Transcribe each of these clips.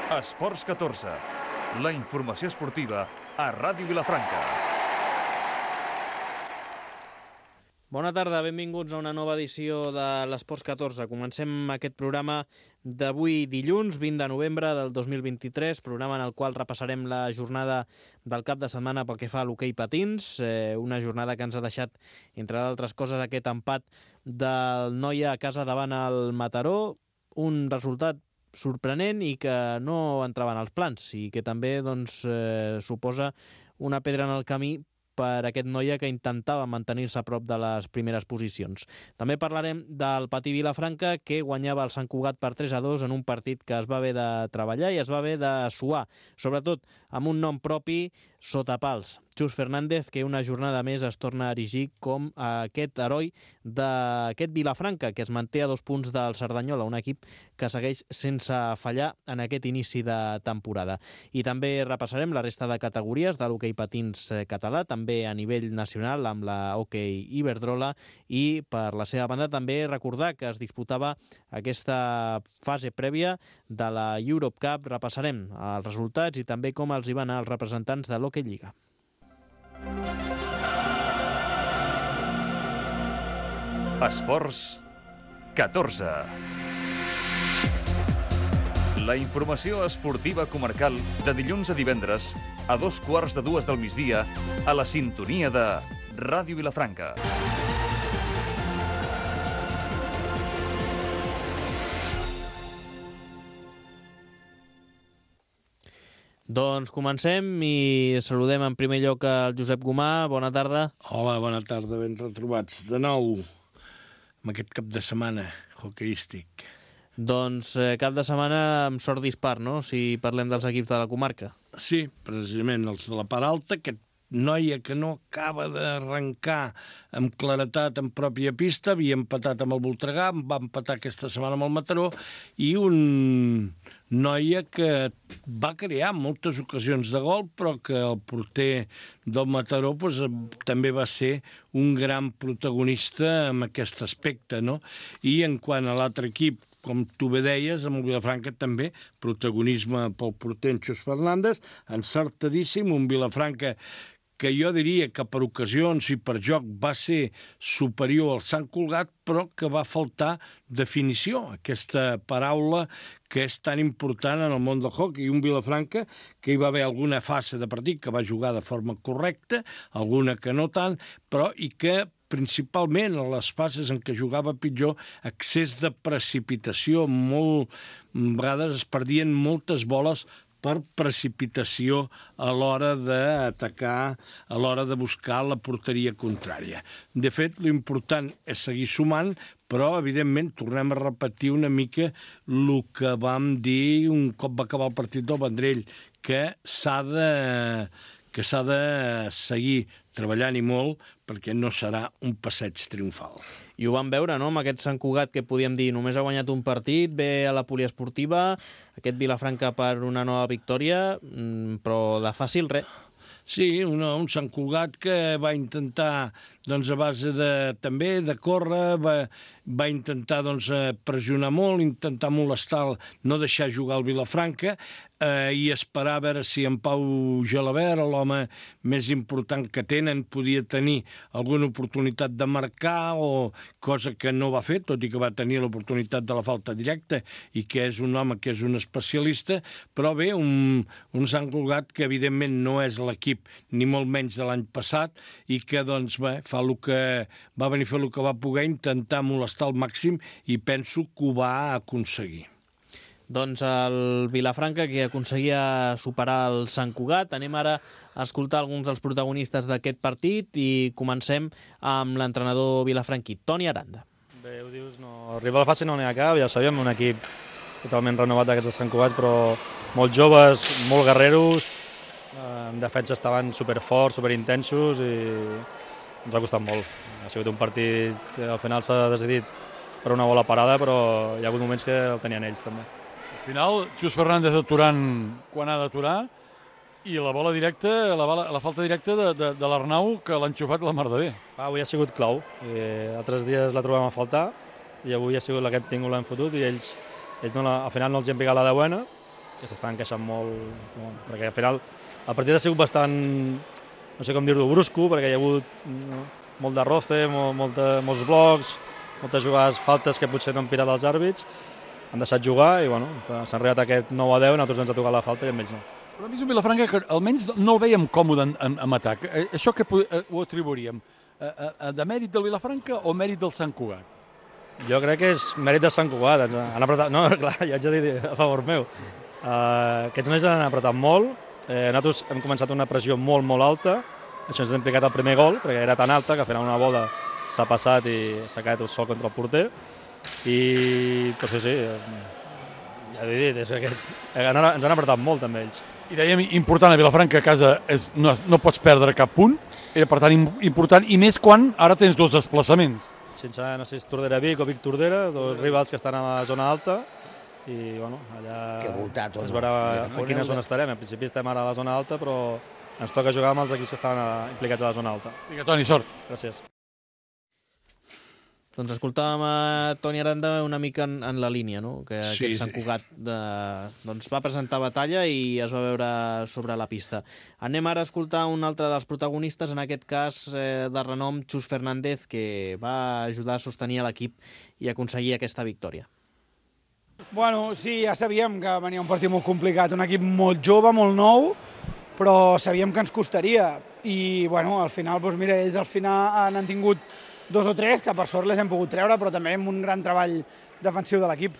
Esports 14, la informació esportiva a Ràdio Vilafranca. Bona tarda, benvinguts a una nova edició de l'Esports 14. Comencem aquest programa d'avui dilluns, 20 de novembre del 2023, programa en el qual repassarem la jornada del cap de setmana pel que fa a l'hoquei patins, una jornada que ens ha deixat, entre d'altres coses, aquest empat del Noia a casa davant el Mataró, un resultat sorprenent i que no entrava en els plans i que també suposa una pedra en el camí per aquest Noia que intentava mantenir-se a prop de les primeres posicions. També parlarem del Patí Vilafranca, que guanyava el Sant Cugat per 3-2 en un partit que es va haver de treballar i es va haver de suar, sobretot amb un nom propi sota pals. Xus Fernández, que una jornada més es torna a erigir com aquest heroi d'aquest Vilafranca, que es manté a 2 punts del Cerdanyola, un equip que segueix sense fallar en aquest inici de temporada. I també repassarem la resta de categories de l'hoquei patins català, també a nivell nacional amb la hoquei Iberdrola, i per la seva banda també recordar que es disputava aquesta fase prèvia de la Europe Cup. Repassarem els resultats i també com els hi van anar els representants de l'Hockey Lliga. Esports 14. La informació esportiva comarcal de dilluns a divendres a 2:15 del migdia a la sintonia de Ràdio Vilafranca. Doncs comencem i saludem en primer lloc al Josep Gomà. Bona tarda. Hola, bona tarda, ben retrobats. De nou, amb aquest cap de setmana hoqueístic. Doncs cap de setmana amb sort dispar, no?, si parlem dels equips de la comarca. Sí, precisament els de la part alta, aquest Noia que no acaba d'arrencar amb claretat en pròpia pista, havia empatat amb el Voltregà, va empatar aquesta setmana amb el Mataró, i un Noia que va crear moltes ocasions de gol, però que el porter del Mataró també va ser un gran protagonista en aquest aspecte, no? I en quant a l'altre equip, com tu bé deies, amb el Vilafranca també, protagonisme pel porter en Xus Fernández, encertadíssim, un Vilafranca que jo diria que per ocasions i per joc va ser superior al Sant Cugat, però que va faltar definició, aquesta paraula que és tan important en el món del hoquei. Un Vilafranca que hi va haver alguna fase de partit que va jugar de forma correcta, alguna que no tant, però i que principalment a les fases en què jugava pitjor, excés de precipitació, a vegades es perdien moltes boles per precipitació a l'hora d'atacar, a l'hora de buscar la porteria contrària. De fet, l'important és seguir sumant, però, evidentment, tornem a repetir una mica el que vam dir un cop va acabar el partit del Vendrell, que s'ha de seguir treballant i molt perquè no serà un passeig triomfal. I ho vam veure, no?, amb aquest Sant Cugat que podíem dir només ha guanyat un partit, ve a la poliesportiva, aquest Vilafranca per una nova victòria, però de fàcil res. Sí, un Sant Cugat que va intentar, a base també de córrer, va intentar pressionar molt, intentar molestar, no deixar jugar el Vilafranca, i esperar a veure si en Pau Gelabert, l'home més important que tenen, podia tenir alguna oportunitat de marcar, o cosa que no va fer, tot i que va tenir l'oportunitat de la falta directa, i que és un home que és un especialista, però bé, un Sant Cugat que evidentment no és l'equip ni molt menys de l'any passat, i que fa el que va venir a fer el que va poder, intentar molestar al màxim, i penso que ho va aconseguir. Doncs el Vilafranca, que aconseguia superar el Sant Cugat. Anem ara a escoltar alguns dels protagonistes d'aquest partit i comencem amb l'entrenador vilafranquí, Toni Aranda. Bé, ho dius, no, rival fàcil no n'hi ha cap, ja sabíem, un equip totalment renovat d'aquests de Sant Cugat, però molt joves, molt guerreros, en defensa estaven superforts, superintensos, i ens ha costat molt. Ha sigut un partit que al final s'ha decidit per una bola parada, però hi ha hagut moments que el tenien ells també. Al final, Xus Fernández aturant quan ha d'aturar, i la bola directa, la falta directa de l'Arnau, que l'ha enxufat la mar de bé. Avui ha sigut clau. Altres dies la trobem a faltar, i avui ha sigut la que hem tingut, l'hem fotut, i ells no al final no els hi han picat la de buena, que s'estan encaixant molt, perquè al final el partit ha sigut bastant, no sé com dir-ho, brusco, perquè hi ha hagut molt de roce, molts blocs, moltes jugades faltes que potser no han pirat els àrbits, han deixat jugar i bueno, s'han arribat a aquest 9-10 i nosaltres ens ha tocat la falta i amb ells no. Però a mi és un Vilafranca que almenys no el veiem còmode en atac. Això que ho atribuiríem? De mèrit del Vilafranca o mèrit del Sant Cugat? Jo crec que és mèrit de Sant Cugat. Han apretat... No, clar, ja haig de dir a favor meu. Aquests nois han apretat molt. Nosaltres hem començat una pressió molt alta. Això ens ha implicat el primer gol, perquè era tan alta que al final una bola s'ha passat i s'ha quedat sol contra el porter. I, doncs sí, ja he dit, és que ens han apretat molt també ells. I dèiem, important a Vilafranca, a casa no pots perdre cap punt, era per tant important, i més quan ara tens dos desplaçaments. Sense, no sé si és Tordera Vic o Vic Tordera, dos rivals que estan a la zona alta, i bueno, allà es veurà a quina zona estarem. En principi estem ara a la zona alta, però ens toca jugar amb els equips que estan implicats a la zona alta. Vinga, Toni, sort. Gràcies. Doncs escoltàvem a Toni Aranda una mica en la línia, no? Que aquest Sant Cugat doncs va presentar batalla i es va veure sobre la pista. Anem ara a escoltar un altre dels protagonistes, en aquest cas de renom, Xus Fernández, que va ajudar a sostenir l'equip i aconseguir aquesta victòria. Bueno, sí, ja sabíem que venia un partit molt complicat, un equip molt jove, molt nou, però sabíem que ens costaria. I, bueno, al final, doncs mira, ells al final han tingut 2 o 3, que per sort les hem pogut treure, però també amb un gran treball defensiu de l'equip.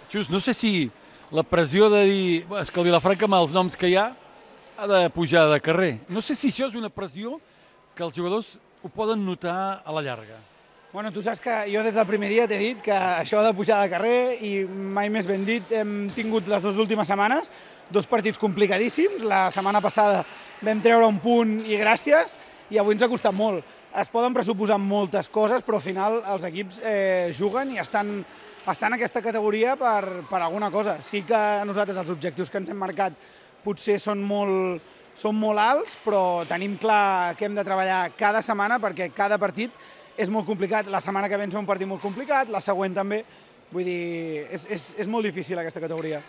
Xus, no sé si la pressió de dir és que el Vilafranca, amb els noms que hi ha de pujar de carrer. No sé si això és una pressió que els jugadors ho poden notar a la llarga. Bueno, tu saps que jo des del primer dia t'he dit que això de pujar de carrer, i mai més ben dit, hem tingut les 2 últimes setmanes 2 partits complicadíssims. La setmana passada vam treure un punt i gràcies, i avui ens ha costat molt. Es poden pressuposar moltes coses, però al final els equips juguen i estan en aquesta categoria per alguna cosa. Sí que nosaltres els objectius que ens hem marcat potser són molt alts, però tenim clar que hem de treballar cada setmana perquè cada partit és molt complicat. La setmana que ve ens ve un partit molt complicat, la següent també. Vull dir, és molt difícil aquesta categoria.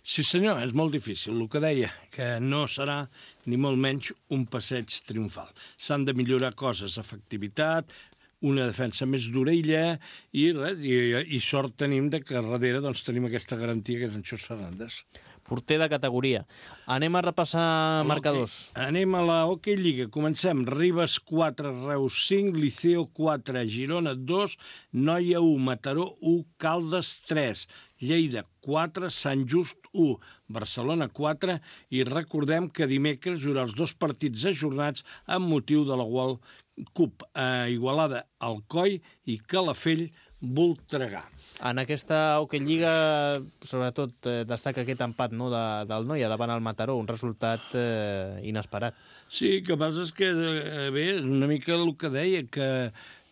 Sí senyor, és molt difícil. El que deia, que no serà ni molt menys un passeig triomfal. S'han de millorar coses, efectivitat, una defensa més d'orella i sort tenim que darrere doncs, tenim aquesta garantia que és en Xus Fernández. Porter de categoria. Anem a repassar marcadors. Anem a la Hockey Lliga. Comencem. Ribes 4, Reus 5, Liceo 4, Girona 2, Noia 1, Mataró 1, Caldes 3, Lleida 4, Sant Just 1, Barcelona 4, i recordem que dimecres hi haurà els 2 partits ajornats amb motiu de la World Cup a Igualada, Alcoi i Calafell, Voltregà. En aquesta Hockey Lliga, sobretot, destaca aquest empat del Noia davant el Mataró, un resultat inesperat. Sí, el que passa és que, bé, una mica el que deia, que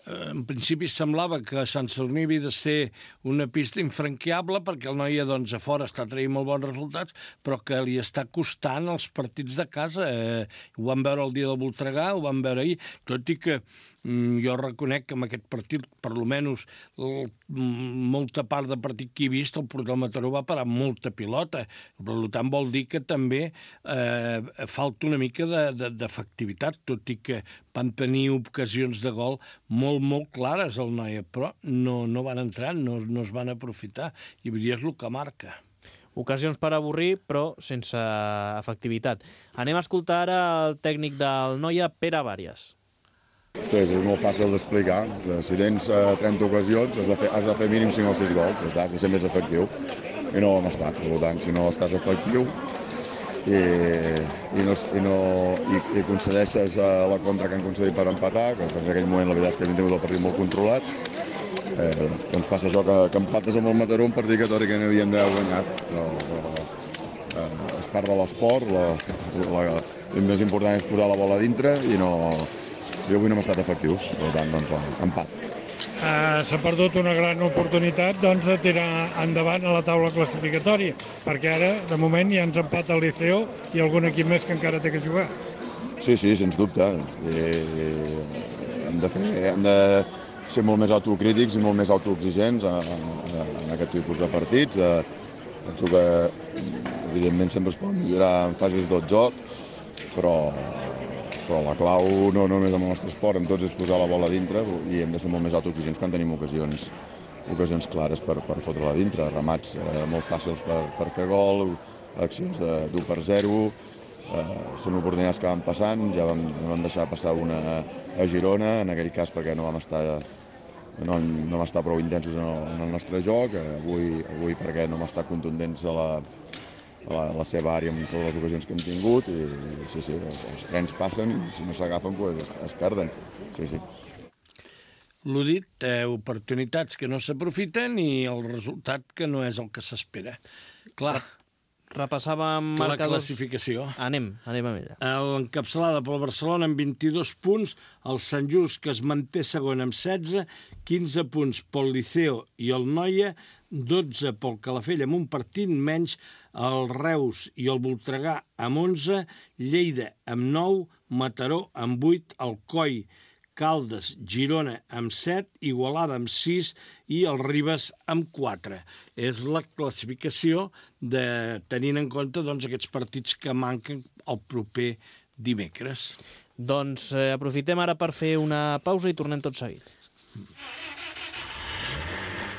en principi semblava que Sant Sadurní havia de ser una pista infranqueable perquè el Noia doncs, a fora està traient molt bons resultats, però que li està costant els partits de casa. Ho vam veure el dia del Voltregà, ho vam veure ahir, tot i que jo reconec que en aquest partit, per almenys molta part del partit que he vist, el Mataró va parar molta pilota. Per tant, vol dir que també falta una mica d'efectivitat, tot i que van tenir ocasions de gol molt clares al Noia, però no van entrar, no es van aprofitar, i vull dir, és el que marca. Ocasions per avorrir, però sense efectivitat. Anem a escoltar ara el tècnic del Noia, Pere Vàries. Sí, és molt fàcil d'explicar. Si tens 30 ocasions, has de fer mínim 5 o 6 gols, has de ser més efectiu. I no ho hem estat. Per tant, si no estàs efectiu i concedeixes la contra que han concedit per empatar, que en aquell moment la veritat és que hem tingut el partit molt controlat, doncs passa això que empates amb el Mataró, un partit que teòricament havíem d'haver guanyat. Però és part de l'esport, el més important és posar la bola a dintre i avui no hem estat efectius, per tant, doncs, empat. S'ha perdut una gran oportunitat de tirar endavant a la taula classificatòria, perquè ara, de moment, ja ens empata el Liceo i algun equip més que encara té que jugar. Sí, sens dubte. Hem de ser molt més autocrítics i molt més autoexigents en aquest tipus de partits, Penso que, evidentment, sempre es pot millorar en fases del joc, però la clau no només amb el nostre esport, amb tots, és posar la bola a dintre i hem de ser molt més autoexigents quan tenim ocasions clares per fotre-la a dintre. Remats molt fàcils per fer gol, accions d'1-0, són oportunitats que van passant, ja vam deixar passar una a Girona, en aquell cas perquè no vam estar prou intensos en el nostre joc, avui perquè no vam estar contundents a la seva àrea amb totes les ocasions que hem tingut, i sí, els trens passen i si no s'agafen es perden. Sí. L'ho dit, oportunitats que no s'aprofiten i el resultat que no és el que s'espera. Clar, repassàvem la marcadors. classificació. Anem amb ella. L'encapçalada pel Barcelona amb 22 punts, el Sant Just, que es manté segon amb 16, 15 punts pel Liceo i el Noia, 12 pel Calafell amb un partit menys, el Reus i el Voltregà amb 11, Lleida amb 9, Mataró amb 8, Alcoi, Caldes, Girona amb 7, Igualada amb 6 i el Ribes amb 4. És la classificació tenint en compte aquests partits que manquen el proper dimecres. Doncs aprofitem ara per fer una pausa i tornem tot seguit.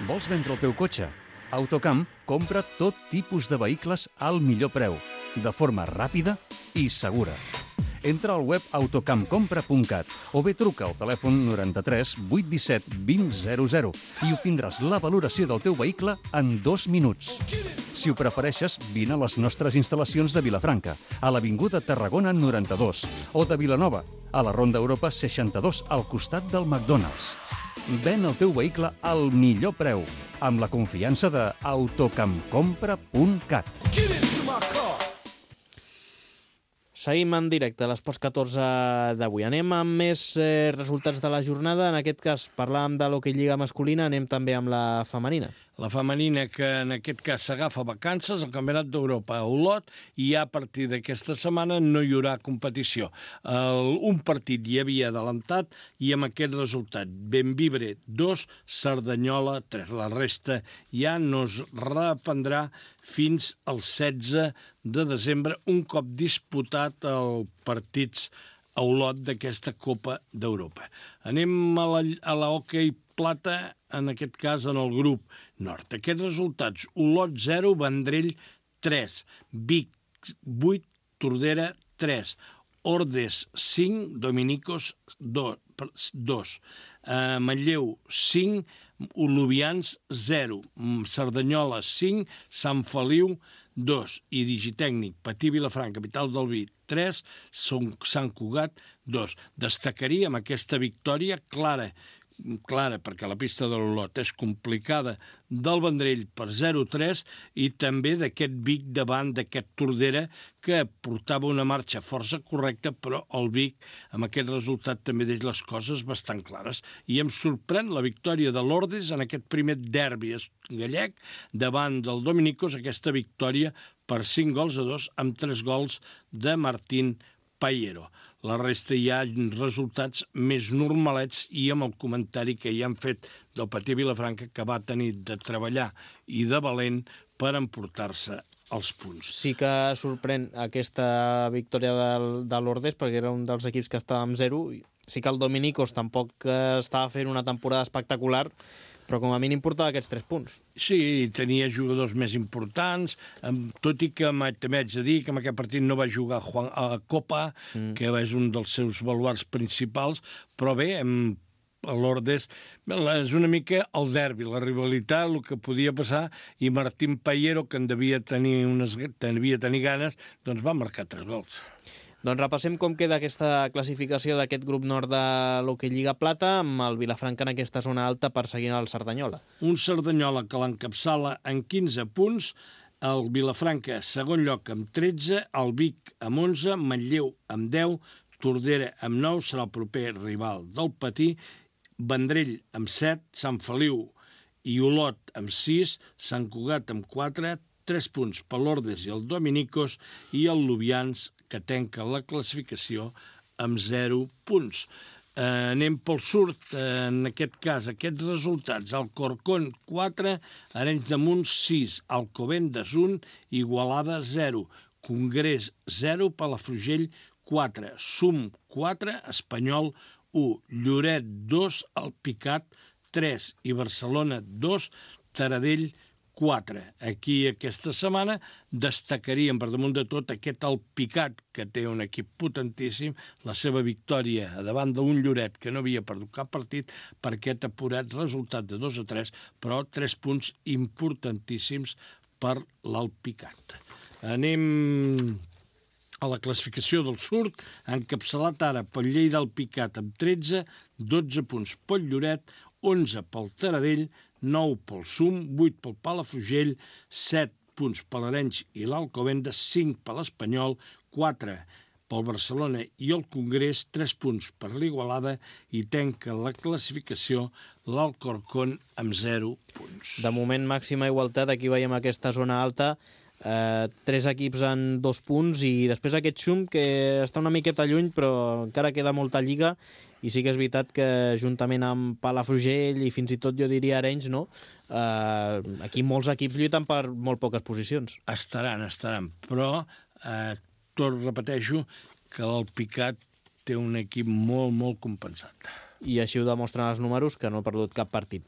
Vols vendre el teu cotxe? Autocamp compra tot tipus de vehicles al millor preu, de forma ràpida i segura. Entra al web autocampcompra.cat o bé truca al telèfon 93 817 2000 i obtindràs la valoració del teu vehicle en 2 minuts. Si ho prefereixes, vine a les nostres instal·lacions de Vilafranca, a l'Avinguda Tarragona 92, o de Vilanova, a la Ronda Europa 62, al costat del McDonald's. Ven el teu vehicle al millor preu, amb la confiança de autocampcompra.cat. Seguim en directe a l'Esports 14 d'avui. Anem amb més resultats de la jornada. En aquest cas parlàvem de l'hoquei lliga masculina, anem també amb la femenina. La femenina, que en aquest cas s'agafa vacances al Campionat d'Europa a Olot, i a partir d'aquesta setmana no hi haurà competició. Un partit hi havia adelantat i amb aquest resultat: Bembibre 2, Cerdanyola 3. La resta ja no es reprendrà fins al 16 de desembre, un cop disputat els partits a Olot d'aquesta Copa d'Europa. Anem a la hoquei plata, en aquest cas en el grup nord. Aquests resultats: Olot 0, Vendrell 3, Vic 8, Tordera 3, Ordes 5, Dominicos 2, Manlleu 5, Olubians 0, Cerdanyola 5, Sant Feliu 2 i Digitècnic Patí Vilafranca, capital del Vi, 3, Sant Cugat 2. Destacaríem aquesta victòria clara, perquè la pista de l'Olot és complicada, del Vendrell per 0-3, i també d'aquest Vic davant d'aquest Tordera, que portava una marxa força correcta, però el Vic amb aquest resultat també deix les coses bastant clares. I em sorprèn la victòria de l'Ordes en aquest primer derbi gallec davant del Dominicos, aquesta victòria per 5-2 amb 3 gols de Martín Payero. La resta hi ha resultats més normalets, i amb el comentari que ja han fet del Patí Vilafranca, que va tenir de treballar i de valent per emportar-se els punts. Sí que sorprèn aquesta victòria de l'Ordes, perquè era un dels equips que estava amb 0. Sí que el Dominicos tampoc estava fent una temporada espectacular, però com a mínim portava aquests 3 punts. Sí, tenia jugadors més importants, tot i que també haig de dir que en aquest partit no va jugar a Copa, que és un dels seus baluards principals, però bé, l'Ordes és una mica el derbi, la rivalitat, el que podia passar, i Martín Payero, que en devia tenir ganes, doncs va marcar 3 gols. Doncs repassem com queda aquesta classificació d'aquest grup nord de l'hoquei Lliga Plata, amb el Vilafranca en aquesta zona alta perseguint el Cerdanyola. Un Cerdanyola que l'encapçala en 15 punts, el Vilafranca segon lloc amb 13, el Vic amb 11, Manlleu amb 10, Tordera amb 9, serà el proper rival del Patí, Vendrell amb 7, Sant Feliu i Olot amb 6, Sant Cugat amb 4, 3 punts per l'Ordes i el Dominicos, i el Lubians, que tanca la classificació amb 0 punts. Anem pel surt, en aquest cas, aquests resultats. Alcorcón, 4, Arenys de Munt, 6, Alcobendas, 1, Igualada, 0, Congrés, 0, Palafrugell, 4, Sum, 4, Espanyol, 1, Lloret, 2, Alpicat, 3 i Barcelona, 2, Taradell, 4. Aquí aquesta setmana destacaríem per damunt de tot aquest Alpicat, que té un equip potentíssim, la seva victòria davant d'un Lloret que no havia perdut cap partit per aquest apurat resultat de 2-3, però 3 punts importantíssims per l'Alpicat. Anem a la classificació del surt, encapçalat ara pel Lleida Alpicat amb 13, 12 punts pel Lloret, 11 pel Taradell, 9 pel Sum, 8 pel Palafrugell, 7 punts per l'Arenys i l'Alcobendas, 5 per l'Espanyol, 4 pel Barcelona i el Congrés, 3 punts per l'Igualada i tanca la classificació l'Alcorcón amb 0 punts. De moment, màxima igualtat, aquí veiem aquesta zona alta, 3 equips en 2 punts i després aquest Xum que està una miqueta lluny però encara queda molta lliga i sí que és veritat que juntament amb Palafrugell i fins i tot jo diria Arenys, no? Aquí molts equips lluiten per molt poques posicions. Estaran, però repeteixo que l'Alpicat té un equip molt compensat. I així ho demostren els números, que no ha perdut cap partit.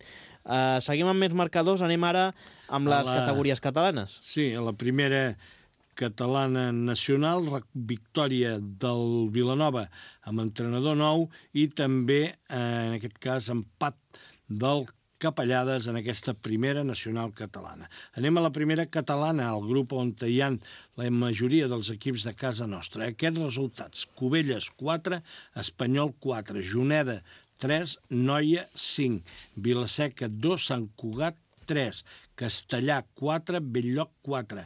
Seguim amb més marcadors, anem ara amb les categories catalanes. Sí, a la primera catalana nacional, victòria del Vilanova amb entrenador nou i també, en aquest cas, empat del Capellades en aquesta primera nacional catalana. Anem a la primera catalana, el grup on hi ha la majoria dels equips de casa nostra. Aquests resultats: Cubelles, 4, Espanyol, 4, Juneda, 3, Noia, 5, Vilaseca, 2, Sant Cugat, 3, Castellà, 4, Bell-lloc, 4,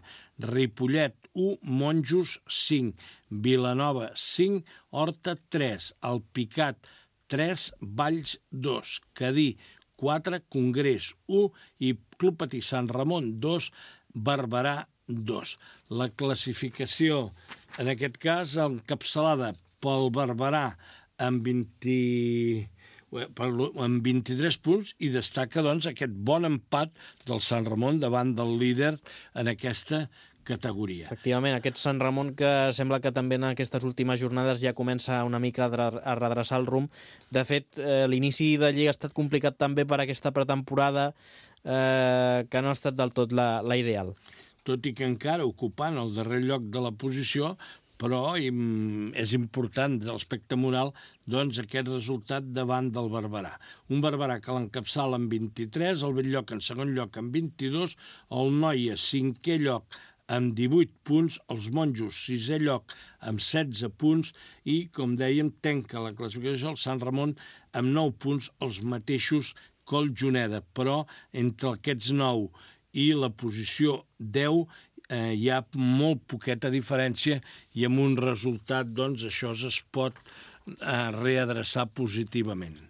Ripollet, 1, Monjos, 5, Vilanova, 5, Horta, 3, Alpicat, 3, Valls, 2, Cadí, 4, Congrés, 1 i Club Patí Sant Ramon, 2, Barberà, 2. La classificació, en aquest cas, encapçalada pel Barberà amb 23 punts i destaca doncs, aquest bon empat del Sant Ramon davant del líder en aquesta categoria. Efectivament, aquest Sant Ramon que sembla que també en aquestes últimes jornades ja comença una mica a redreçar el rumb. De fet, l'inici de Lliga ha estat complicat també per aquesta pretemporada que no ha estat del tot la ideal. Tot i que encara ocupant el darrer lloc de la posició, però és important de l'aspecte moral doncs, aquest resultat davant del Barberà. Un Barberà que l'encapçala amb 23, el Bell-lloc en segon lloc amb 22, el Noia, 5è lloc, amb 18 punts, els Monjos, 6è lloc, amb 16 punts, i, com dèiem, tanca la classificació el Sant Ramon amb 9 punts, els mateixos que el Juneda. Però entre aquests 9 i la posició 10 hi ha molt poqueta diferència i amb un resultat, doncs, això es pot readreçar positivament.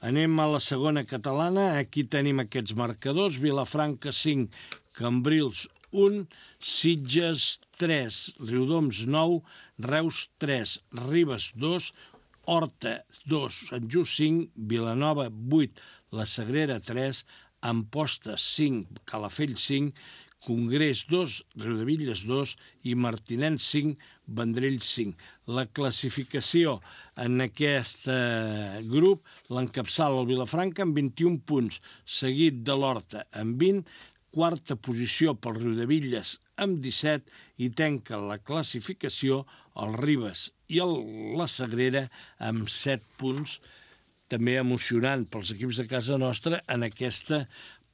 Anem a la segona catalana. Aquí tenim aquests marcadors. Vilafranca, 5, Cambrils, 1, Sitges, 3, Riudoms, 9, Reus, 3, Ribes, 2, Horta, 2, Sant Just, 5, Vilanova, 8, La Sagrera, 3, Amposta, 5, Calafell, 5, Congrés, 2, Riudevilles, 2 i Martinenc, 5, Vendrell, 5. La classificació en aquest grup l'encapçala el Vilafranca amb 21 punts, seguit de l'Horta amb 20, quarta posició pel Riudevilles amb 17 i tanca la classificació el Ribes i la Sagrera amb 7 punts, també emocionant pels equips de casa nostra en aquesta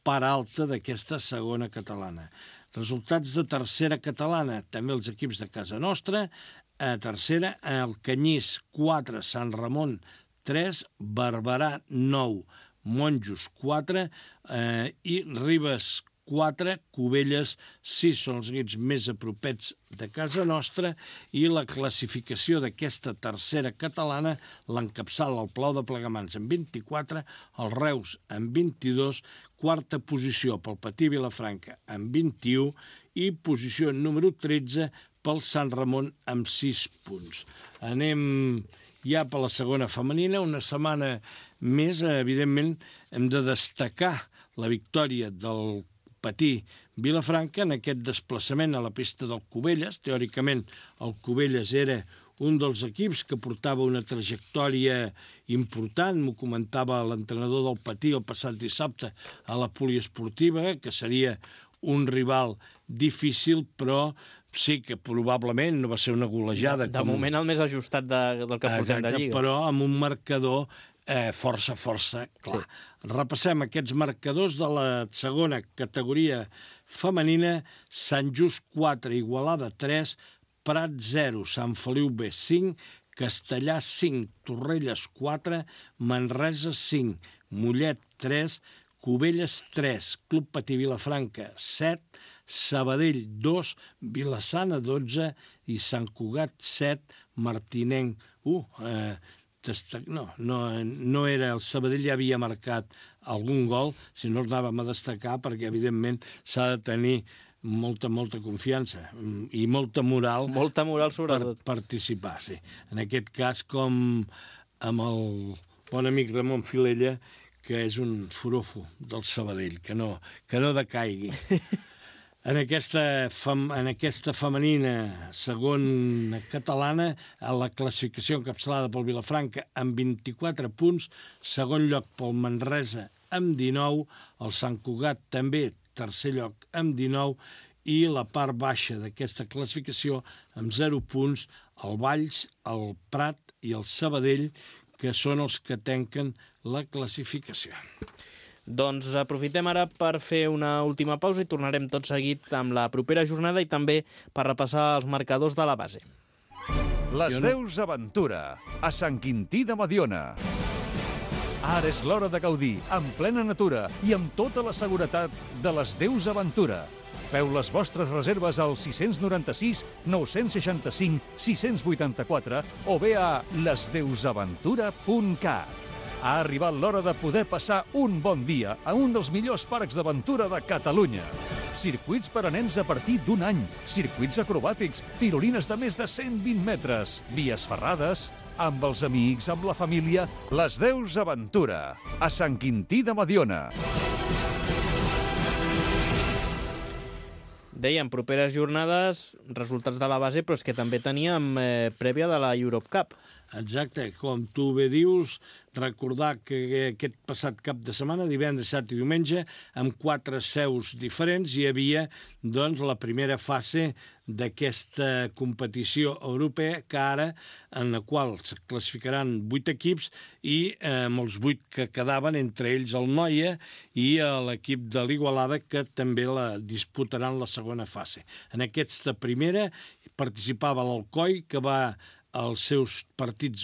part alta d'aquesta segona catalana. Resultats de tercera catalana, també els equips de casa nostra. A tercera, el Canyís, 4, Sant Ramon, 3, Barberà, 9, Monjos, 4 i Ribes, 4, Cubelles, 6 són els equips més apropets de casa nostra i la classificació d'aquesta tercera catalana l'encapçala el Palau de Plegamans amb 24, el Reus amb 22, quarta posició pel Patí Vilafranca amb 21 i posició número 13 pel Sant Ramon amb 6 punts. Anem ja per la segona femenina. Una setmana més, evidentment, hem de destacar la victòria del Patí Vilafranca en aquest desplaçament a la pista del Cubelles. Teòricament, el Cubelles era un dels equips que portava una trajectòria important. M'ho comentava l'entrenador del Patí el passat dissabte a la poliesportiva, que seria un rival difícil, però sí que probablement no va ser una golejada. De moment el més ajustat del que portem de Lliga. Però amb un marcador força clar. Sí. Repassem aquests marcadors de la segona categoria femenina. Sant Just 4, Igualada 3, Prat 0, Sant Feliu B 5, Castellà 5, Torrelles 4, Manresa 5, Mollet 3, Cubelles 3, Club Patí Vilafranca 7, Sabadell 2, Vilassana 12 i Sant Cugat 7, Martinenc 1. No era el Sabadell, ja havia marcat algun gol, si no anàvem a destacar, perquè evidentment s'ha de tenir molta confiança i molta moral. Molta moral, sobretot. Per participar, sí. En aquest cas, com amb el bon amic Ramon Filella, que és un forofo del Sabadell, que no decaigui. En aquesta femenina segona catalana, a la classificació encapçalada pel Vilafranca amb 24 punts, segon lloc pel Manresa amb 19, el Sant Cugat també tercer lloc amb 19, i la part baixa d'aquesta classificació amb 0 punts, el Valls, el Prat i el Sabadell, que són els que tanquen la classificació. Doncs aprofitem ara per fer una última pausa i tornarem tot seguit amb la propera jornada i també per repassar els marcadors de la base. Les Deus Aventura, a Sant Quintí de Mediona. Ara és l'hora de gaudir, en plena natura i amb tota la seguretat de les Deus Aventura. Feu les vostres reserves al 696 965 684 o bé a lesdeusaventura.cat. Ha arribat l'hora de poder passar un bon dia a un dels millors parcs d'aventura de Catalunya. Circuits per a nens a partir d'un any, circuits acrobàtics, tirolines de més de 120 metres, vies ferrades, amb els amics, amb la família. Les Deus Aventura, a Sant Quintí de Mediona. Dèiem, properes jornades, resultats de la base, però és que també teníem prèvia de la Europe Cup. Exacte, com tu bé dius, recordar que aquest passat cap de setmana, divendres, dissabte i diumenge, amb 4 seus diferents, hi havia doncs, la primera fase d'aquesta competició europea, que ara, en la qual es classificaran 8 equips i amb els 8 que quedaven, entre ells el Noia i l'equip de l'Igualada, que també la disputaran la segona fase. En aquesta primera participava l'Alcoi, que va els seus partits,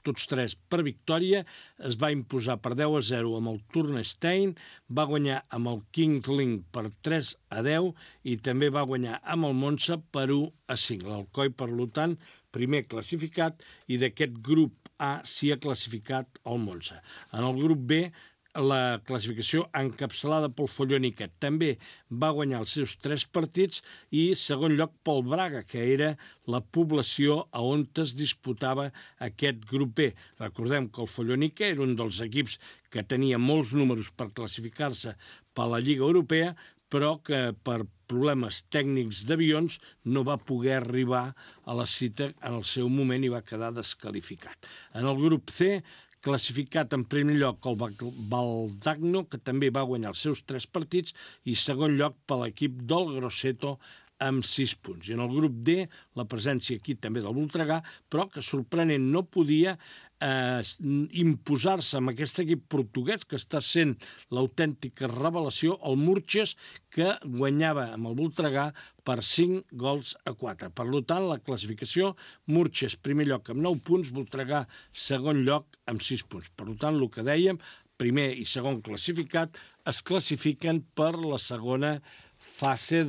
tots 3 per victòria, es va imposar per 10-0 amb el Turnerstein, va guanyar amb el Kingling per 3-10 i també va guanyar amb el Monza per 1-5. L'Alcoi, per tant, primer classificat, i d'aquest grup A s'hi ha classificat el Monza. En el grup B, la classificació encapçalada pel Folloni, que també va guanyar els seus 3 partits, i segon lloc pel Braga, que era la població on es disputava aquest grup B. Recordem que el Folloni era un dels equips que tenia molts números per classificar-se per la Lliga Europea, però que per problemes tècnics d'avions no va poder arribar a la cita en el seu moment i va quedar desqualificat. En el grup C, classificat en primer lloc el Valdagno, que també va guanyar els seus 3 partits, i segon lloc per l'equip del Grosseto amb 6 punts. I en el grup D, la presència aquí també del Voltregà, però que sorprenent no podia imposar-se amb aquest equip portuguès, que està sent l'autèntica revelació, el Murches, que guanyava amb el Voltregà per 5-4. Per tant, la classificació, Murches primer lloc amb 9 punts, Voltregà segon lloc amb 6 punts. Per tant, el que dèiem, primer i segon classificat es classifiquen per la segona fase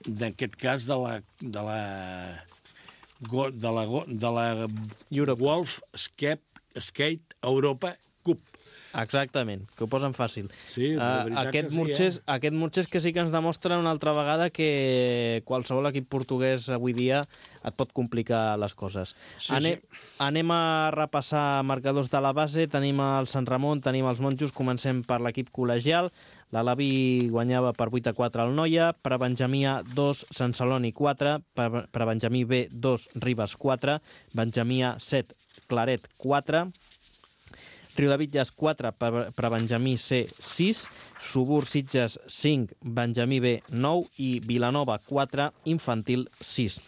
d'aquest cas de la Wolf Skate Europa Cup. Exactament, que ho posen fàcil. Sí, la veritat que sí, Aquest Murchers que sí que ens demostra una altra vegada que qualsevol equip portuguès avui dia et pot complicar les coses. Anem a repassar marcadors de la base. Tenim el Sant Ramon, tenim els Monjos. Comencem per l'equip col·legial. L'Alaví guanyava per 8-4 al Noia, per Benjamí A 2, Sant Celoni 4, per Benjamí B 2, Ribes 4, Benjamí A 7, Claret 4, Riudebitlles 4, per Benjamí C 6, Subur Sitges 5, Benjamí B 9 i Vilanova 4, Infantil 6.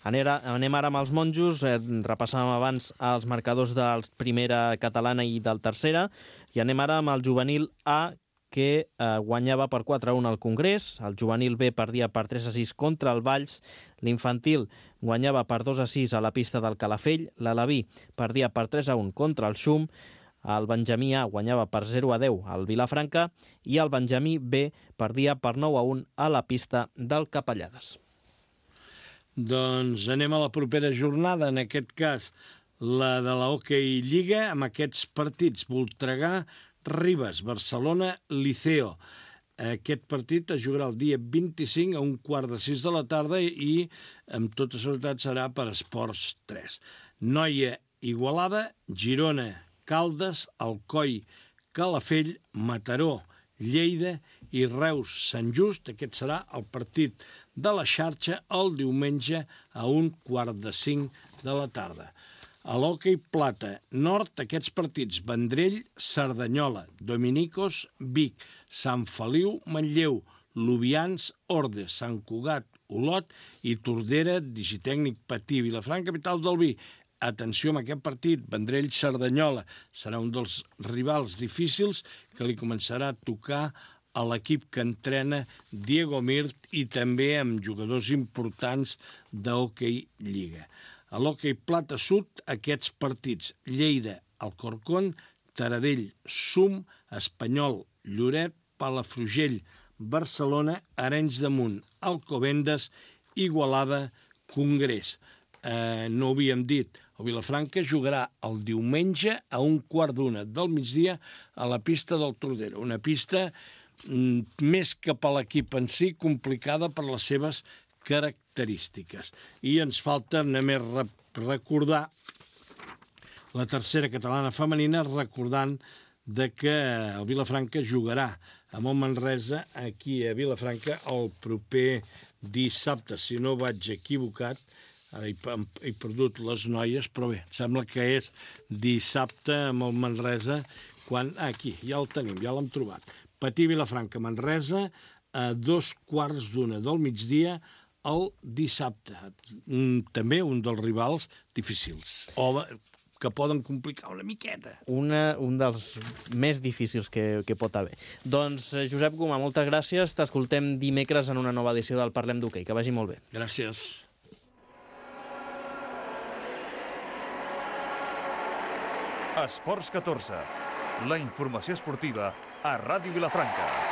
Anem ara amb els Monjos, repassàvem abans els marcadors de primera catalana i del tercera, i anem ara amb el juvenil A, que guanyava per 4-1 al Congrés, el juvenil B perdia per 3-6 contra el Valls, l'infantil guanyava per 2-6 a la pista del Calafell, l'Alaví perdia per 3-1 contra el Xum, el Benjamí A guanyava per 0-10 al Vilafranca i el Benjamí B perdia per 9-1 a la pista del Capellades. Doncs anem a la propera jornada, en aquest cas la de la Hockey Lliga, amb aquests partits: Voltregà, Ribes, Barcelona, Liceo. Aquest partit es jugarà el dia 25 a 5:15 de la tarda i amb tota seguretat serà per Esports 3. Noia, Igualada, Girona, Caldes, Alcoi, Calafell, Mataró, Lleida i Reus, Sant Just. Aquest serà el partit de la xarxa el diumenge a 4:15 de la tarda. A l'Hockey Plata Nord, aquests partits: Vendrell, Cerdanyola, Dominicos, Vic, Sant Feliu, Manlleu, Lubians, Ordes, Sant Cugat, Olot i Tordera, Digitècnic Patí, Vilafranca, capital del vi. Atenció amb aquest partit, Vendrell-Cerdanyola. Serà un dels rivals difícils que li començarà a tocar a l'equip que entrena Diego Mirt i també amb jugadors importants d'Hockey Lliga. A l'Hockey Plata Sud, aquests partits: Lleida, Alcorcón, Taradell, Sum, Espanyol, Lloret, Palafrugell, Barcelona, Arenys de Munt, Alcobendas, Igualada, Congrés. No ho havíem dit, el Vilafranca jugarà el diumenge a 1:15 del migdia a la pista del Tordera, una pista més que per l'equip en si complicada per les seves característiques. I ens falta només recordar la tercera catalana femenina, recordant que el Vilafranca jugarà amb el Manresa aquí a Vilafranca el proper dissabte, si no vaig equivocat. Ara he perdut les noies, però bé, sembla que és dissabte amb el Manresa, quan... Aquí, ja el tenim, ja l'hem trobat. Patí Vilafranca, Manresa, a 2:15 del migdia el dissabte. També un dels rivals difícils, o que poden complicar una miqueta. Un dels més difícils que pot haver. Doncs, Josep Gomà, moltes gràcies. T'escoltem dimecres en una nova edició del Parlem d'Hoquei. Que vagi molt bé. Gràcies. Esports 14, la informació esportiva a Ràdio Vilafranca.